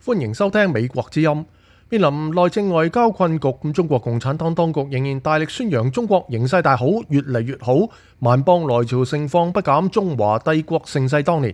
歡迎收聽美國之音。面臨內政外交困局，中國共產黨當局仍然大力宣揚中國形勢大好，越嚟越好，萬邦來朝盛況不減中華帝國盛世當年。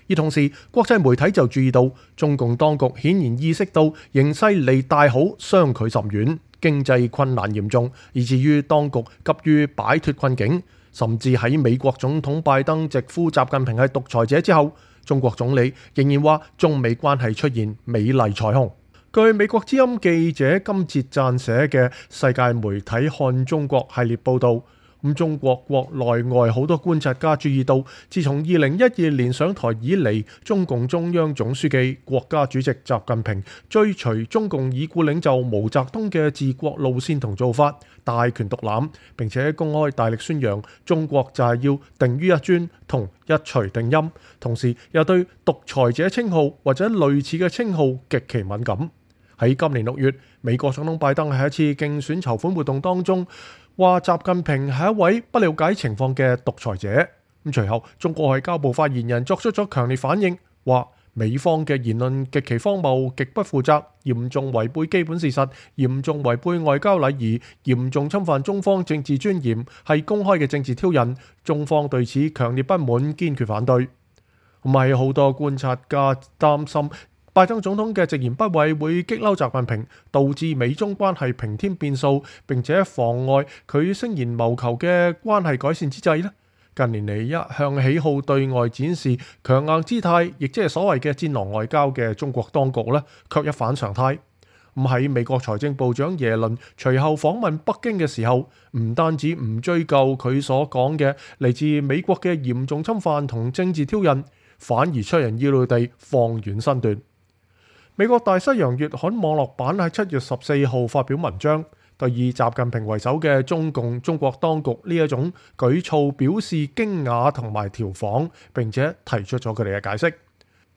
而同時，國際媒體就注意到，中共當局顯然意識到形勢離大好相距甚遠，經濟困難嚴重，以至於當局急於擺脫困境。甚至喺美國總統拜登直呼習近平係獨裁者之後，中國總理仍然話中美關係出現美麗彩虹。據美國之音記者金哲撰寫嘅世界媒體看中國系列報導，中國國內外好多觀察家注意到，自從2012年上台以嚟，中共中央總書記、國家主席習近平追隨中共已故領袖毛澤東嘅治國路線同做法，大權獨攬，並且公開大力宣揚中國就係要定於一尊同一錘定音，同時又對獨裁者稱號或者類似嘅稱號極其敏感。喺今年6月，美國總統拜登喺一次競選籌款活動當中話習近平係一位不了解情況嘅獨裁者。隨後中國外交部發言人作出咗強烈反應，話美方嘅言論極其荒謬、極不負責，嚴重違背基本事實，嚴重違背外交禮儀，嚴重侵犯中方政治尊嚴，係公開嘅政治挑釁。中方對此強烈不滿，堅決反對。係好多觀察家擔心拜登總統嘅直言不諱會激嬲習近平，導致美中關係平添變數，並且妨礙佢聲言謀求嘅關係改善之際呢，近年嚟一向喜好對外展示強硬姿態，亦即係所謂嘅戰狼外交嘅中國當局呢，卻一反常態。喺美國財政部長耶倫隨後訪問北京嘅時候，唔單止唔追究佢所講嘅嚟自美國嘅嚴重侵犯同政治挑釁，反而出人意料地放軟身段。美國大西洋月刊網絡版喺7月14號發表文章，對以習近平為首嘅中國當局呢一種舉措表示驚訝同埋調侃，並且提出咗佢哋嘅解釋。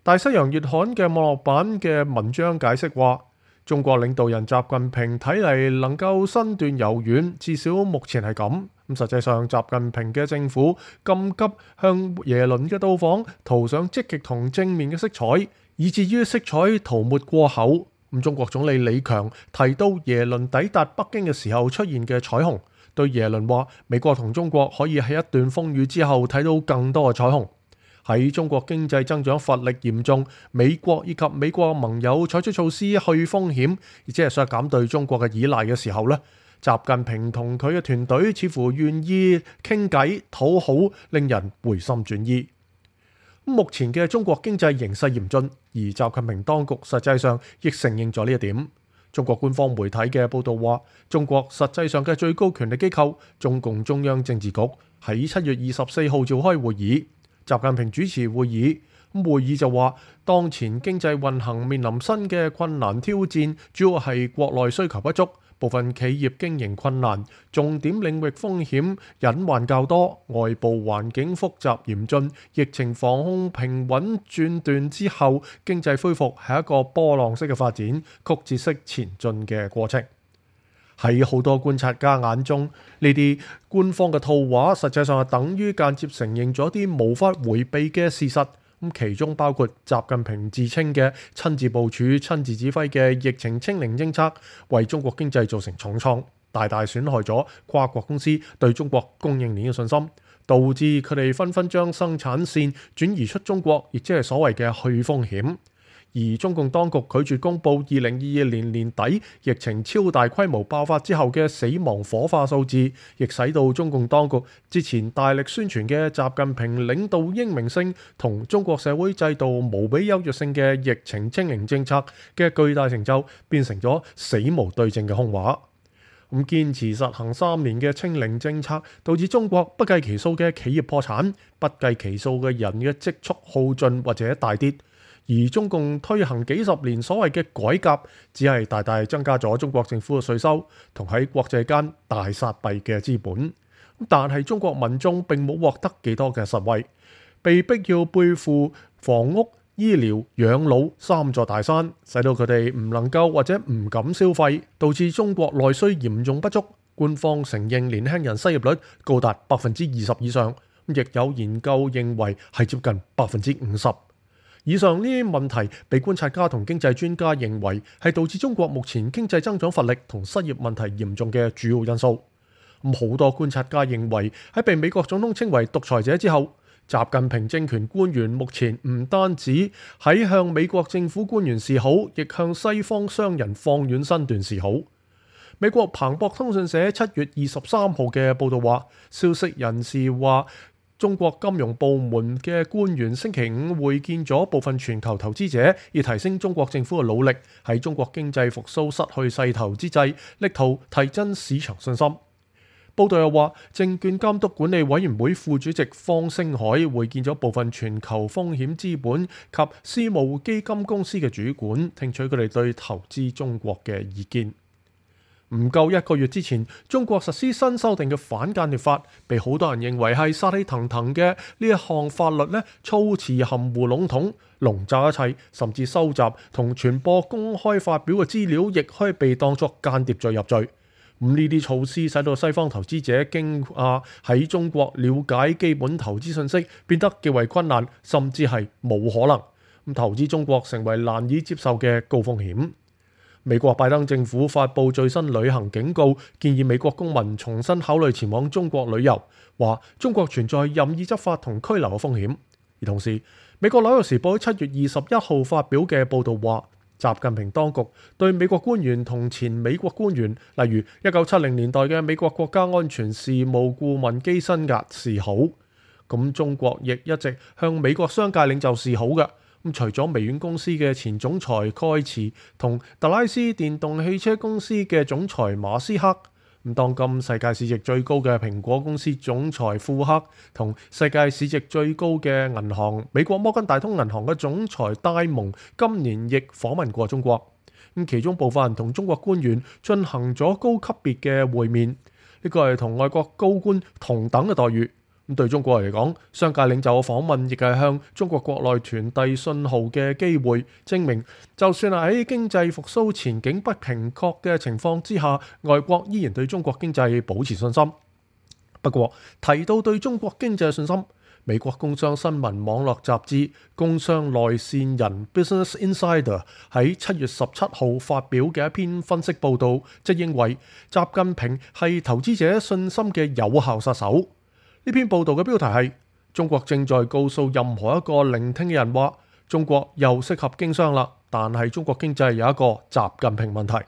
大西洋月刊嘅網絡版嘅文章解釋話，中國領導人習近平睇嚟能夠身段柔軟，至少目前係咁。實際上，習近平嘅政府咁急向耶倫嘅到訪塗上積極同正面嘅色彩，以至於色彩塗抹過厚。中國總理李強提到耶倫抵達北京嘅時候出現嘅彩虹，對耶倫話美國同中國可以喺一段風雨之後睇到更多嘅彩虹。喺中國經濟增長乏力嚴重，美國以及美國盟友採取措施去風險，亦即係削減對中國嘅依賴嘅時候呢，習近平同佢嘅團隊似乎願意傾偈討好，令人回心轉意。目前嘅中國經濟形勢嚴峻，而習近平當局實際上亦承認咗呢一點。中國官方媒體嘅報導話，中國實際上嘅最高權力機構中共中央政治局喺7月24號召開會議，習近平主持會議。會議就話，當前經濟運行面臨新嘅困難挑戰，主要係國內需求不足，部分企業經營困難，重點領域風險隱患較多，外部環境複雜嚴峻，疫情防控平穩轉段之後，經濟恢復係一個波浪式嘅發展，曲折式前進嘅過程。喺好多觀察家眼中，呢啲官方嘅套話實際上係等於間接承認咗啲無法迴避嘅事實。其中包括習近平自稱嘅親自部署、親自指揮嘅疫情清零政策，為中國經濟造成重創，大大損害咗跨國公司對中國供應鏈嘅信心，導致佢哋紛紛將生產線轉移出中國，亦即係所謂嘅去風險。而中共當局拒絕公布2022年年底疫情超大規模爆發之後嘅死亡火化數字，亦使到中共當局之前大力宣傳嘅習近平領導英明性同中國社會制度無比優越性嘅疫情清零政策嘅巨大成就，變成咗死無對證嘅空話。堅持實行3年嘅清零政策，導致中國不計其數嘅企業破產，不計其數嘅人嘅積蓄耗盡或者大跌。而中共推行幾十年所謂嘅改革，只係大大增加咗中國政府嘅稅收，同喺國際間大撒幣嘅資本。但係中國民眾並冇獲得幾多嘅實惠，被逼要背負房屋、醫療、養老3座大山，使到佢哋唔能夠或者唔敢消費，導致中國內需嚴重不足。官方承認年輕人失業率高達20%以上，亦有研究認為係接近50%。以上呢啲問題被觀察家同經濟專家認為係導致中國目前經濟增長乏力同失業問題嚴重嘅主要因素。好多觀察家認為喺被美國總統稱為獨裁者之後，習近平政權官員目前唔單止喺向美國政府官員示好，亦向西方商人放軟身段示好。美國彭博通訊社7月23號嘅報導話，消息人士話中國金融部門嘅官員星期五會見咗部分全球投資者，以提升中國政府嘅努力，喺中國經濟復甦失去勢頭之際，力圖提振市場信心。報道又話，證券監督管理委員會副主席方星海會見咗部分全球風險資本及私募基金公司嘅主管，聽取佢哋對投資中國嘅意見。唔夠一個月之前，中國實施新修訂嘅反間諜法，被好多人認為係殺氣騰騰嘅呢一項法律呢，措辭含糊籠統，籠罩一切，甚至收集同傳播公開發表嘅資料，亦可以被當作間諜罪入罪。呢啲措施使到西方投資者驚訝喺中國了解基本投資信息變得極為困難，甚至係冇可能。投資中國成為難以接受嘅高風險。美國拜登政府發布最新旅行警告，建議美國公民重新考慮前往中國旅遊，話中國存在任意執法同拘留嘅風險。而同時，美國紐約時報喺7月21號發表嘅報導話，習近平當局對美國官員同前美國官員，例如1970年代嘅美國國家安全事務顧問基辛格示好。咁中國亦一直向美國商界領袖示好嘅。除咗微軟公司嘅前總裁蓋茨同特拉斯電動汽車公司嘅總裁馬斯克，當今世界市值最高嘅蘋果公司總裁庫克同世界市值最高嘅銀行美國摩根大通銀行嘅總裁戴蒙今年亦訪問過中國。其中部分人同中國官員進行咗高級別嘅會面，呢個係同外國高官同等嘅待遇。對中國嚟講，商界領袖嘅訪問亦係向中國國內傳遞信號嘅機會，證明就算係喺經濟復甦前景不明確嘅情況之下，外國依然對中國經濟保持信心。不過提到對中國經濟嘅信心，美國工商新聞網絡雜誌工商內線人 Business Insider 喺7月17號發表嘅一篇分析報導，即認為習近平係投資者信心嘅有效殺手。呢篇報導嘅標題係：中國正在告訴任何一個聆聽嘅人話，中國又適合經商啦，但係中國經濟有一個習近平問題。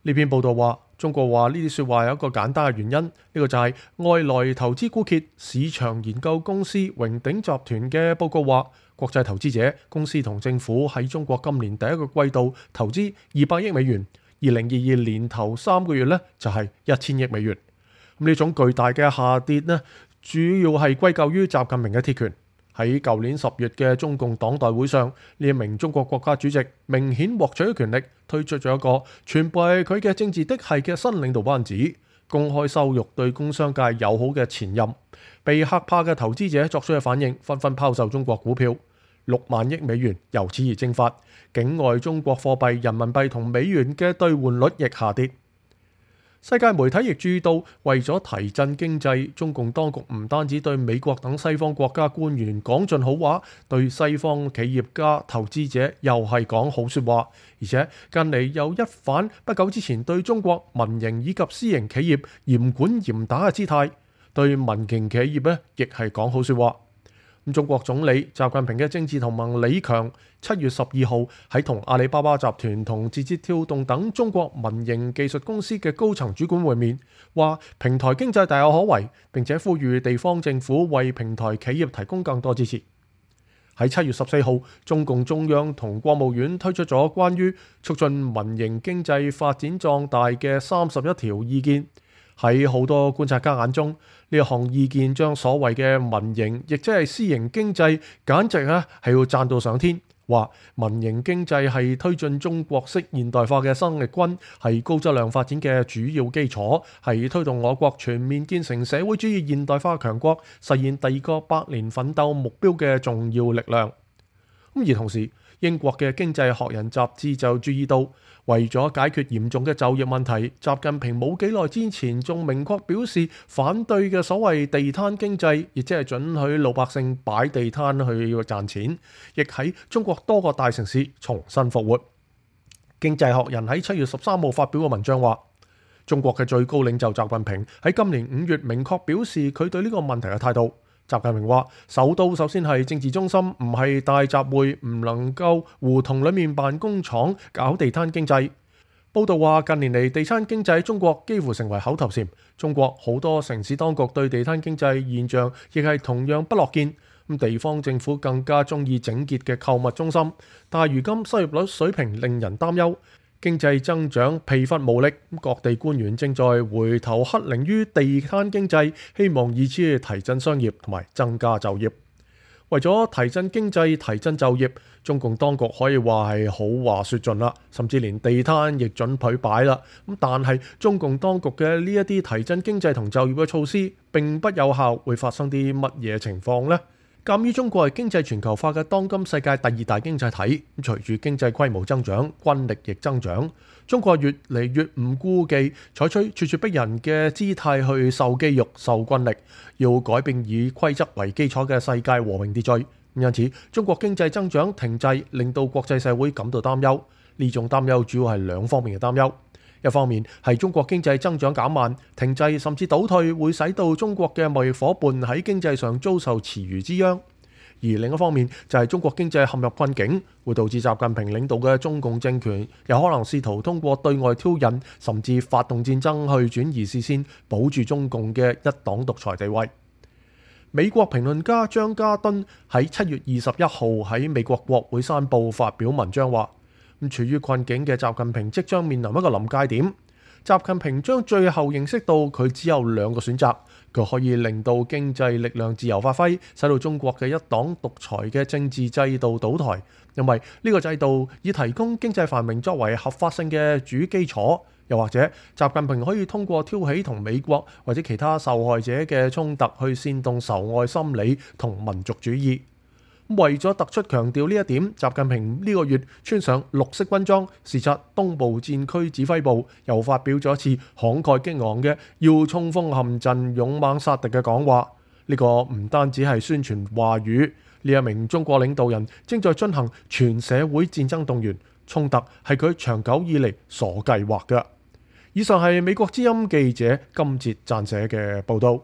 呢篇報導話，中國話呢啲説話有一個簡單嘅原因，呢個就係外來投資枯竭。市場研究公司榮鼎集團嘅報告話，國際投資者、公司同政府喺中國今年第一個季度投資200億美元，2022年頭3個月呢就係1000億美元。呢種巨大嘅下跌呢，主要係歸咎於習近平嘅鐵拳。喺舊年10月嘅中共黨代會上，呢一名中國國家主席明顯獲取咗權力，推出咗一個全部係佢嘅政治嫡系嘅新領導班子，公開羞辱對工商界友好嘅前任。被嚇怕嘅投資者作出嘅反應，紛紛拋售中國股票，6萬億美元由此而蒸發。境外中國貨幣人民幣同美元嘅兌換率亦下跌。世界媒體亦注意到，為咗提振經濟，中共當局唔單止對美國等西方國家官員講盡好話，對西方企業家、投資者又係講好説話，而且近嚟又一反不久之前對中國民營以及私營企業嚴管嚴打嘅姿態，對民營企業呢亦係講好説話。中國總理習近平嘅政治同盟李強7月12號喺同阿里巴巴集團同字節跳動等中國民營技術公司嘅高層主管會面，話平台經濟大有可為，並且呼籲地方政府為平台企業提供更多支持。喺7月14號，中共中央同國務院推出咗關於促進民營經濟發展壯大嘅31條意見。喺好多觀察家眼中，呢一項意見將所謂嘅民營，亦即係私營經濟，簡直係要讚到上天。話民營經濟係推進中國式現代化嘅生力軍，係高質量發展嘅主要基礎，係推動我國全面建成社會主義現代化強國、實現第2個百年奮鬥目標嘅重要力量。而同時，英國嘅經濟學人雜誌就注意到，為咗解決嚴重嘅就業問題，習近平冇幾耐之前仲明確表示反對嘅所謂地攤經濟，亦即係准許老百姓擺地攤去賺錢，亦喺中國多個大城市重新復活。經濟學人喺7月13號發表嘅文章話，中國嘅最高領袖習近平喺今年5月明確表示佢對呢個問題嘅態度。習近平話：首都首先係政治中心，唔係大集會，唔能夠胡同裡面辦工廠搞地攤經濟。報道話，近年嚟地攤經濟喺中國幾乎成為口頭禪。中國好多城市當局對地攤經濟現象亦係同樣不樂見。地方政府更加中意整潔嘅購物中心。但係如今失業率水平令人擔憂，經濟增長疲乏無力，各地官員正在回頭乞靈於地攤經濟，希望以此提振商業同埋增加就業。為咗提振經濟、提振就業，中共當局可以話係好話說盡啦，甚至連地攤亦准許擺啦。但係中共當局嘅呢一啲提振經濟同就業嘅措施並不有效，會發生啲乜嘢情況呢？鑑於中國係經濟全球化嘅當今世界第2大經濟體，隨住經濟規模增長，軍力亦增長，中國越嚟越唔顧忌採取咄咄逼人嘅姿態去秀肌肉、秀軍力，要改變以規則為基礎嘅世界和平秩序。因此，中國經濟增長停滯，令到國際社會感到擔憂。呢種擔憂主要係兩方面嘅擔憂。一方面係中國經濟增長減慢、停滯甚至倒退，會使到中國嘅貿易夥伴喺經濟上遭受池魚之殃；而另一方面就係中國經濟陷入困境，會導致習近平領導嘅中共政權有可能試圖通過對外挑釁，甚至發動戰爭去轉移視線，保住中共嘅一黨獨裁地位。美國評論家張家敦喺7月21號喺美國國會山報發表文章話，處於困境嘅習近平即將面臨一個臨界點。習近平將最後認識到佢只有2個選擇，佢可以令到經濟力量自由發揮，使到中國嘅一黨獨裁嘅政治制度倒台，因為呢個制度以提供經濟繁榮作為合法性嘅主基礎。又或者習近平可以通過挑起同美國或者其他受害者嘅衝突，去煽動仇外心理同民族主義。為咗突出強調呢一點，習近平呢個月穿上綠色軍裝，視察東部戰區指揮部，又發表咗一次慷慨激昂嘅要衝鋒陷陣、勇猛殺敵嘅講話。呢個唔單止係宣傳話語，呢一名中國領導人正在進行全社會戰爭動員，衝突係佢長久以嚟所計劃嘅。以上係美國之音記者金哲撰寫嘅報導。